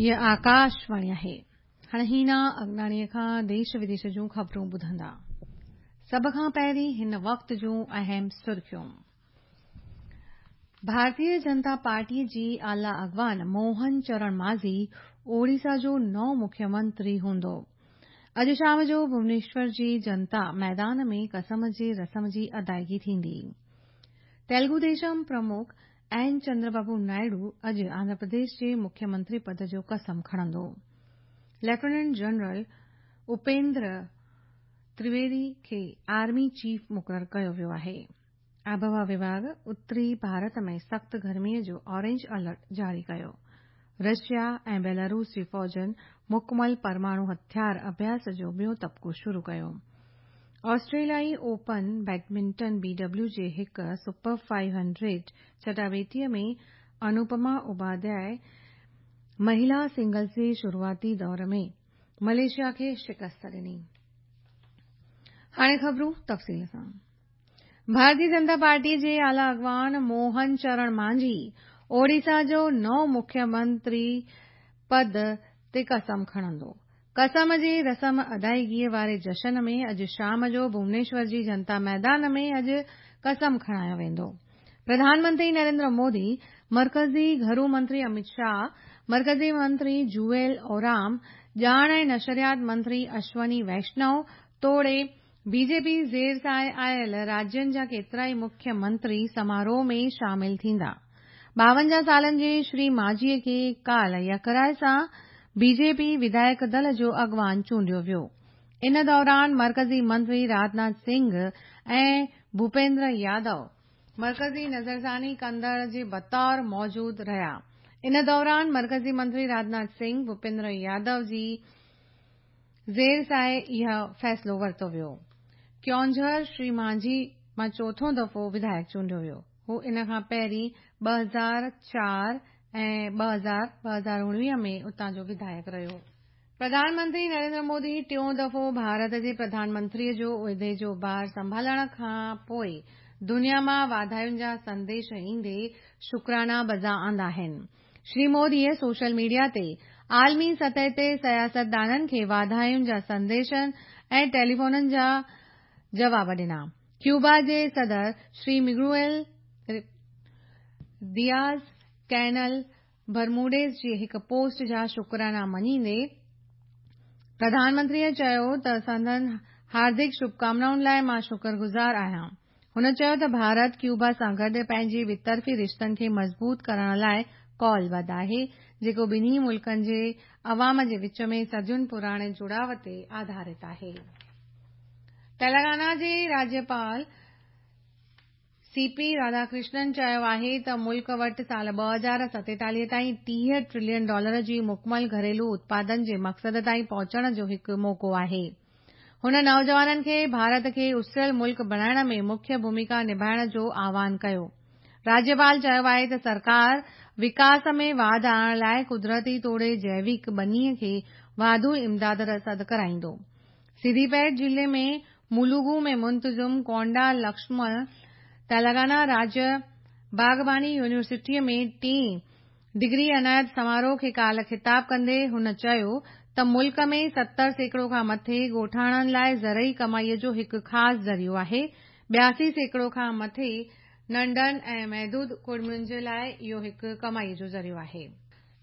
هيء آڪاشواڻي آهي. هاڻي هينا اگناڻيء کان ديش وديش جون خبرون ٻڌندا. سڀ کان پهرين هن وقت جون اهم سرخيون. ڀارتيه جنتا پارٽيء جي اعليٰ اڳواڻ موهن چرڻ مانجهي اوڙيسا جو نئون مکيه منتري هوندو. اڄ شام جو ڀونيشور جي جنتا ميدان ۾ قسم جي رسم جي ادائگي ٿيندي. تيلگو ديشم پرمک اين چندربابو نائيڊو اڄ آنڌرا پرديش جي مکيه منتري پد جو قسم کڻندو. ليفٽيننٽ جنرل اپيندر ترويدي کي آرمي چيف مقرر ڪيو ويو آهي. آبهوا وڀاڳ اتري ڀارت ۾ سخت گرمي جو اورينج الرٽ جاري ڪيو. رشيا ۽ بيلاروس جي فوجن مڪمل پرماڻو هٿيار اڀياس جو ٻيون طبقو شروع ڪيو. آسٽريليائي اوپن بيڊمنٽن بي ڊبليو جي هڪ سپر فائيو هنڊريڊ چٽاڀيٽيء ۾ انوپما اپاڌياء مهلا سنگلز جي شروعاتي دور ۾ ملائيشيا کي شڪست ڏني. هاڻي خبرون تفصيل سان. ڀارتيه جنتا پارٽيء جي اعليٰ اڳواڻ موهن چرڻ مانجهي اوڙيسا جو نئون مکيه منتري پد تي قسم کڻندو. قسم جي رسم ادائگيء واري جشن ۾ اڄ شام جو ڀونيشور جي جنتا ميدان ۾ اڄ قسم کڻايو ويندو. پرڌان منتري نريندر مودي، مرڪزي گهرو منتري امت شاهه، مرڪزي منتري جوئيل اورام، ڄاڻ ۽ نشريات منتري اشوني ويشنو توڙي بي جي پي زير سايي آيل راجين جا ڪيترائي مکيه منتري سماروهه ۾ شامل ٿيندا. 52 سالن جي شري مانجهيء کي ڪالهه يڪراء سان بي جي پي وڌايڪ دل جو اڳواڻ چونڊيو ويو. ان دوران مرڪزي منتري راجناٿ سنگهه ۽ ڀوپيندر يادو مرڪزي نظرثاني ڪندڙ جي بطور موجود رهيا. ان دوران مرڪزي منتري راجناٿ سنگهه، ڀوپيندر يادو جي زير سايي اهو فيصلو ورتو ويو. ڪيونجهر شري مانجهي مان چوٿون دفعو وڌايڪ چونڊيو ويو. هو ان کان پهرين 2004 ۽ 2019 ۾ اتان جو وڌايڪ رهيو. پرڌان منتري نريندر مودي ٽيون دفعو ڀارت جي پرڌان منتريء جو عهدي جو بار سنڀالڻ کان پوء دنيا مان واڌاين جا سنديش ايندي شڪرانا بجا آندا آهن. شري موديء سوشل ميڊيا تي عالمي سطح تي سياستدانن کي واڌاين جا سنديشن ۽ ٽيليفونن جا جواب ڏنا. ڪيوبا جي صدر شري مگوئيل دياز ڪينل برموڊيز جي هڪ پوسٽ جا شڪرانا مڃيندي پرڌان منتريء چيو ته سندن هاردڪ شڀڪامنائن لاء مان شڪرگذار آهيان. هن چيو ته ڀارت ڪيوبا سان گڏ پنهنجي ٻطرفي رشتن کي مضبوط ڪرڻ لاء قولبڌ آهي، جيڪو ٻنهي ملڪن جي عوام جي وچ ۾ صدين پراڻي جڙاء تي آڌارت آهي. تيلنگانا جي راجيپال سي پي راڌاڪرشنن چيو آهي ته ملڪ وٽ سال 2047 تائين 30 ٽريلين ڊالر جي مڪمل گهريلو اتپادن جي مقصد تائين پهچڻ جو هڪ موقعو آهي. هن نوجوانن کي ڀارت کي اسريل ملڪ بڻائڻ ۾ مکيه ڀوميڪا نڀائڻ جو آهوان ڪيو. راجيپال چيو آهي ته سرڪار وڪاس ۾ واڌ آڻڻ لاء قدرتي توڙي جيوڪ ٻنيء کي واڌو امداد رسد ڪرائيندو. سڌيپيٽ ضلعي ۾ ملوگو ۾ منتظم ڪونڊا لڪشمڻ تيلنگانا راجيه باغباني يونيورسٽيء ۾ ٽئين ڊگري عنايت سماروهه کي ڪالهه خطاب ڪندي هن چيو ته ملڪ ۾ 70% کان مٿي ڳوٺاڻن لاء زرعي ڪمائي جو هڪ خاص ذريعو آهي، 82% کان مٿي ننڍن ۽ محدود ڪڙمين جي لاء اهو هڪ ڪمائي جو ذريعو آهي.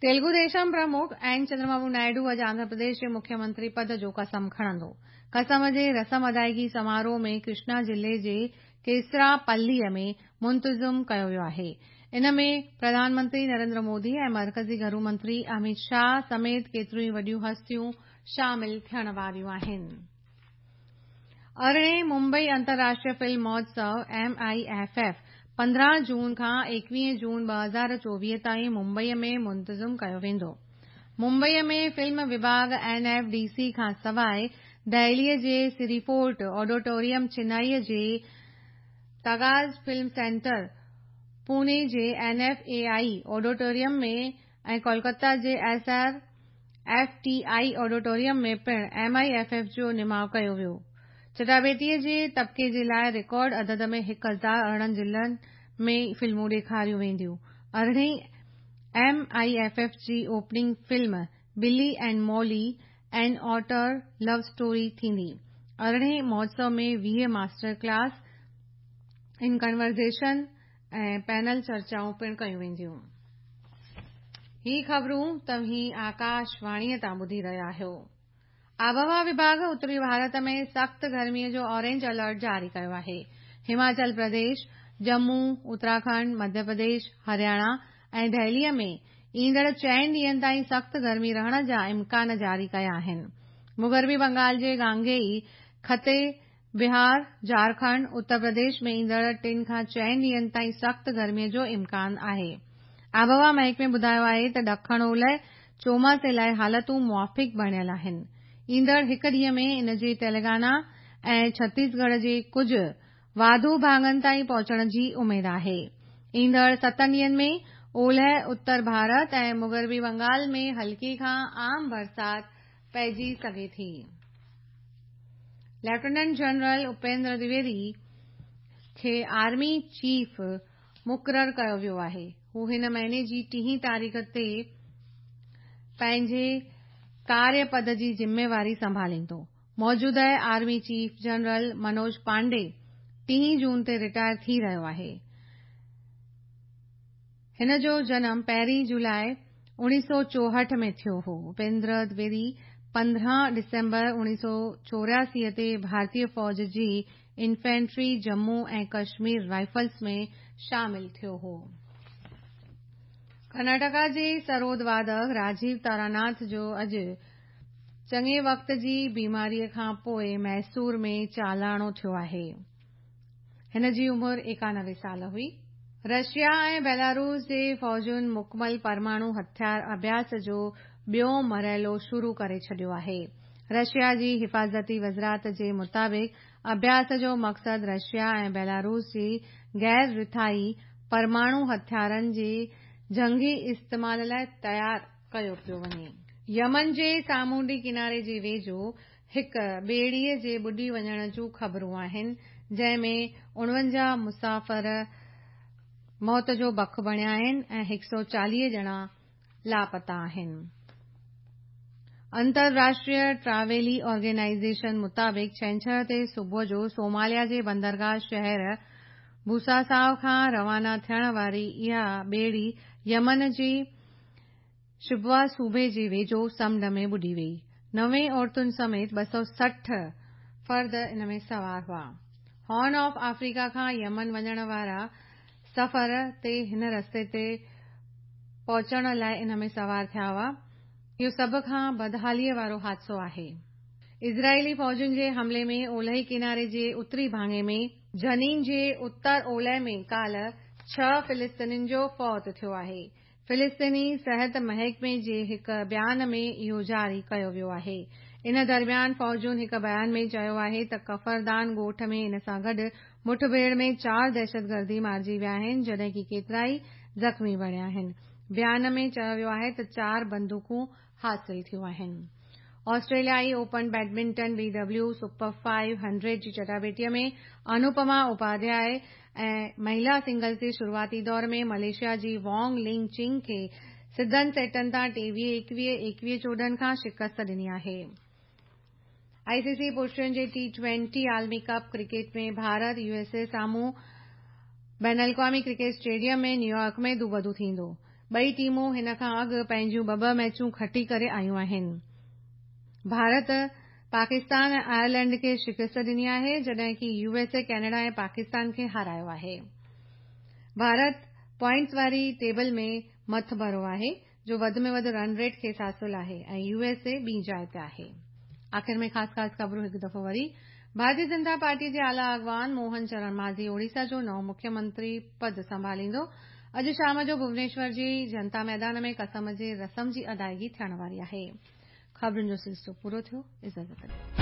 تيلگو ديشم پرمک اين چندربابو نائيڊو اڄ آنڌرا پرديش جي مکيه منتري پد جو قسم کڻندو. قسم جي رسم ادائگي سماروهه ۾ ڪرشنا ضلعي جي ڪيسرا پليء ۾ منتظم ڪيو ويو آهي. ان ۾ پرڌان منتري نريندر مودي ۽ مرڪزي گهرو منتري اميت شاهه سميت ڪيتريون ئي وڏيون هستيون شامل ٿيڻ واريون آهن. ارڙهين ممبئي انترراشٽريه فلم مهوتسو، M I F F, 15 June کان 21 جون 2024 تائين ممبئي ۾ منتظم ڪيو ويندو. ممبئي ۾ فلم وڀاڳ اين ايف ڊي سي کان سواء دهليء جي سري فورٽ آڊيٽوريم، چنائيء جي تاج فلم سينٽر، پوني جي N F A I auditorium ۾ ۽ Kolkata جي S R F T I auditorium ۾ پڻ ايم I F F جو نماء ڪيو ويو. چٽاڀيٽيء جي طبقي جي لاء رڪارڊ عدد ۾ 1018 ضلعن ۾ فلمون ڏيکاريون وينديون. ارڙهين ايم I F F جي opening film Billy and Molly an otter love story ٿيندي. ارڙهين مهوتسو ۾ 20 ماسٽر ڪلاس ان ڪنورزيشن ۽ پينل چرچائون پڻ ڪيون وينديون. هي خبرون توهين آڪاش واڻيء تان ٻڌي رهيا آهيو. آبهوا وڀاڳ اتري ڀارت ۾ سخت گرميء جو اورينج الرٽ جاري ڪيو آهي. هماچل پرديش، ڄمون، اتراکنڊ، مڌيه پرديش، هرياڻا ۽ دهليء ۾ ايندڙ چئن ڏينهن تائين سخت گرمي رهڻ جا امڪان جاري ڪيا آهن. مغربي بنگال جي گانگيئي خطي، بهار، جهارکنڊ، اتر پرديش ۾ ايندڙ ٽن کان چئن ڏينهن تائين سخت گرمي جو امڪان آهي. آبهوا محڪمي ٻڌايو آهي ته ڏکڻ اولهه چوماسي لاء حالتون موافق بڻيل آهن. ايندڙ هڪ ڏينهن ۾ ان جي تيلنگانا ۽ ڇتيسڳڙهه جي ڪجهه واڌو ڀاڱن تائين پهچڻ جي اميد آهي. ايندڙ ستن ڏينهن ۾ اولهه اتر ڀارت ۽ مغربي بنگال ۾ هلڪي کان عام برسات پئجي سگهي ٿي. ليفٽيننٽ جنرل اپيندر دويدي کي آرمي چيف مقرر ڪيو ويو آهي. هو هن مهيني جي ٽيهين تاريخ تي پنهنجي ڪاريه پد جي ذميواري سنڀاليندو. موجوده army chief general Manoj Pande ٽيهين جون تي رٽائر ٿي رهيو آهي. هن جو جنم پهرين جولاء 1964 ۾ ٿيو هو. اپيندر دويدي 15 ڊسمبر 1984 تي ڀارتي فوج جي انفنٽري ڄمون ۽ ڪشمير رائفلز ۾ شامل ٿيو هو. ڪرناٽڪا جي سرود وادڪ راجيو تاراناٿ جو اڄ چڱي وقت جي بيماريء کان پوء ميسور ۾ چالاڻو ٿيو آهي. هن جي عمر 91 سال هئي. رشيا ۽ بيلاروس جي فوجن مڪمل پرماڻو هٿيار اڀياس جو ٻيو مرحلو شروع ڪري ڇڏيو آهي. رشيا جي حفاظتي وزارت جي مطابق اڀياس جو مقصد رشيا ۽ بيلاروس جي غير رٿائي پرماڻو هٿيارن جي جنگي استعمال لاء تيار ڪيو پيو وڃي. يمن جي سامونڊي ڪناري جي ويجهو هڪ ٻيڙيء جي ٻڏي وڃڻ جون خبرون آهن، جنهن ۾ 49 مسافر موت جو بک بڻيا آهن ۽ 140 ڄڻا لاپتا آهن. انترراشٽريه ٽراويلي آرگنائيزيشن مطابق ڇنڇر تي صبح جو سوماليا جي بندرگاهه شهر بوساساو کان روانا ٿيڻ واري اها ٻيڙي يمن جي شبوا صوبي جي ويجهو سمنڊ ۾ ٻڏي وئي. 90 عورتن سميت 260 فرد ان ۾ سوار هئا. هارن آف آفريڪا کان يمن وڃڻ وارا سفر تي هن رستي تي پهچڻ لاء ان ۾ سوار ٿيا هئا. اهو سڀ کان بدحاليء وارو حادثو آهي. اسرائيلي فوجن جي حملي ۾ اولهي ڪناري جي اتري ڀاڱي ۾ جنين جي اتر اولهه ۾ ڪالهه ڇهه فلسطينين جو فوت ٿيو آهي. فلسطيني صحت محڪمي جي هڪ بيان ۾ اهو جاري ڪيو ويو آهي. ان درميان فوجن هڪ بيان ۾ چيو آهي ته ڪفردان ڳوٺ ۾ ان سان گڏ مٺڀيڙ ۾ چار دهشتگردي مارجي ويا آهن جڏهن ڪي ڪيترائي زخمي بڻيا آهن. بيان ۾ چيو ويو آهي ته چار بندوقون حاصل ٿيون آهن. آسٽريليائي open badminton B W super 500 جي چٽاڀيٽيء ۾ انوپما اپاڌياء ۽ مهلا سنگلز جي شروعاتي دور ۾ ملائيشيا جي وانگ لنگ چنگ کي سڌن سيٽن تان 23 21، 21 14 کان شڪست ڏني آهي. آء سي سي پرشن جي ٽي ٽوئنٽي عالمي cup cricket ۾ Bharat U S A سامهون بين الاقوامي ڪرڪيٽ اسٽيڊيم ۾ نيويارڪ ۾ دوبدو ٿيندو. ٻئي ٽيمون هن کان اڳ پنهنجون ٻه ٻه ميچون کٽي ڪري آيون آهن. ڀارت پاڪستان ۽ آئرلينڊ کي شڪست ڏني آهي جڏهن ڪي يو ايس اي ڪينيڊا ۽ پاڪستان کي هارايو آهي. ڀارت پوائنٽس واري ٽيبل ۾ مٿڀرو آهي جو وڌ ۾ وڌ رن ريٽ کيس حاصل آهي ۽ يو ايس اي ٻي جاء تي آهي. آخر ۾ خاص خاص خبرون هڪ دفعو وري. ڀارتي جنتا پارٽي جي اعليٰ اڳواڻ موهن چرڻ ماجهي اوڙيسا جو نئون مکيه منتري پد سنڀاليندو. اڄ شام جو ڀونيشور جي جنتا ميدان ۾ قسم جي رسم جي ادائگي ٿيڻ واري آهي. خبرن جو سلسلو پورو ٿيو. اجازت ڏيو.